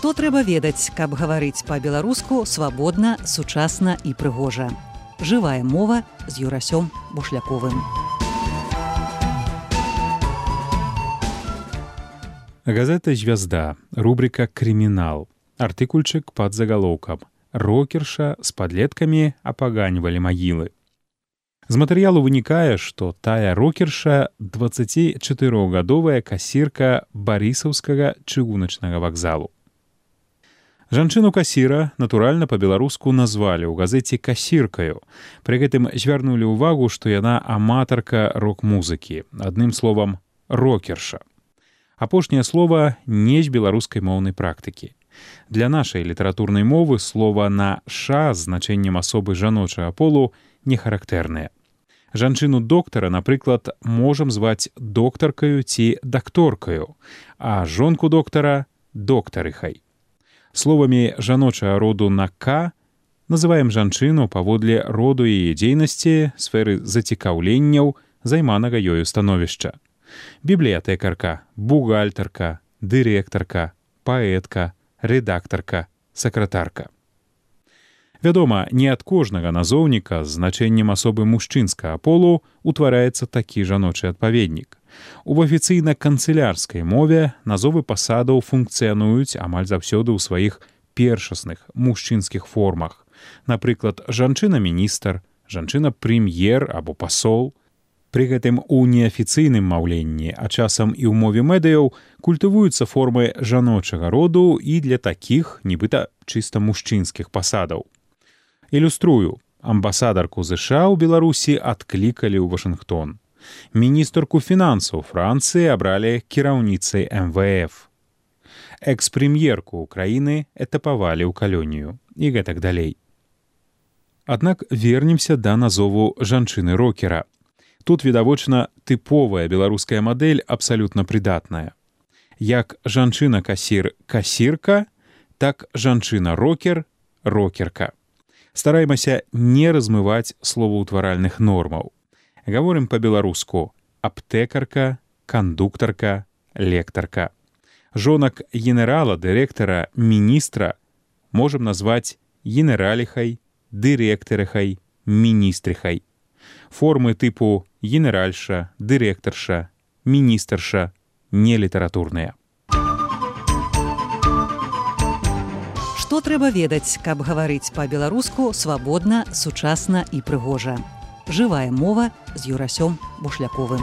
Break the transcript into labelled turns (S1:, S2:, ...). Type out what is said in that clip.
S1: Што трэба ведаць, каб гаварыць па-беларуску свабодна, сучасна і прыгожа. Жывая мова з Юрасём Бушляковым.
S2: Газета «Звезда», рубрика «Криминал», артыкульчык под заголовком «Рокерша с подлетками опоганивали могилы». З матэрыялу вынікае, што тая рокерша 24-гадовая касірка Барысаўскага чыгуначнага вакзалу. Жанчыну-касіра, натуральна, па-беларуску назвалі ў газеце касіркаю. Пры гэтым звярнулі ўвагу, што яна аматарка рок-музыкі, адным словам, рокерша. Апошняе слова не з беларускай моўнай практыкі. Для нашай літаратурнай мовы слова на «ша» з значэннем асобы жаночага полу не характэрнае. Жанчыну-доктара, напрыклад, можам зваць доктаркаю ці дакторкаю, а жонку доктара – доктарыхай. Словамі жаночага роду на «к» называем жанчыну паводле роду яе дзейнасці, сферы зацікаўленняў, займанага ёю становішча. Бібліятэкарка, бухгалтарка, дырэктарка, паэтка, рэдактарка, сакратарка. Вядома, не ад кожнага назоўніка з значэннем асобы мужчынскага полу утвараецца такі жаночы адпаведнік. У афіцыйна-канцылярскай мове назовы пасадаў функцыянуюць амаль заўсёды ў сваіх першасных мужчынскіх формах. Напрыклад, жанчына-міністр, жанчына-прэм'ер або пасол. Пры гэтым у неафіцыйным маўленні, а часам і ў мове медыяў, культывуюцца формы жаночага роду і для такіх, нібыта чыста мужчынскіх пасадаў. Ілюструю. Амбасадарку ЗША ў Беларусі адклікалі ў Вашынгтон. Міністрку фінансаў Францыі абралі кіраўніцай МВФ. Экс-прэм'ерку ўкраіны этапавалі ў калонію. І гэтак далей. Аднак вернемся да назову жанчыны-рокера. Тут, відавочна, тыповая беларуская мадэль абсалютна прыдатная. Як жанчына-касір – касірка, так жанчына-рокер – рокерка. Стараемся не размываць словаўтваральных нормаў. Гаворым па-беларуску аптэкарка, кандуктарка, лектарка. Жонак генерала, дырэктара, міністра можам назваць генераліхай, дырэктарыхай, міністрыхай. Формы тыпу генеральша, дырэктарша, міністарша нелітаратурныя.
S1: Што трэба ведаць, каб гаварыць па-беларуску свабодна, сучасна і прыгожа. Жывая мова з Юрасём Бушляковым.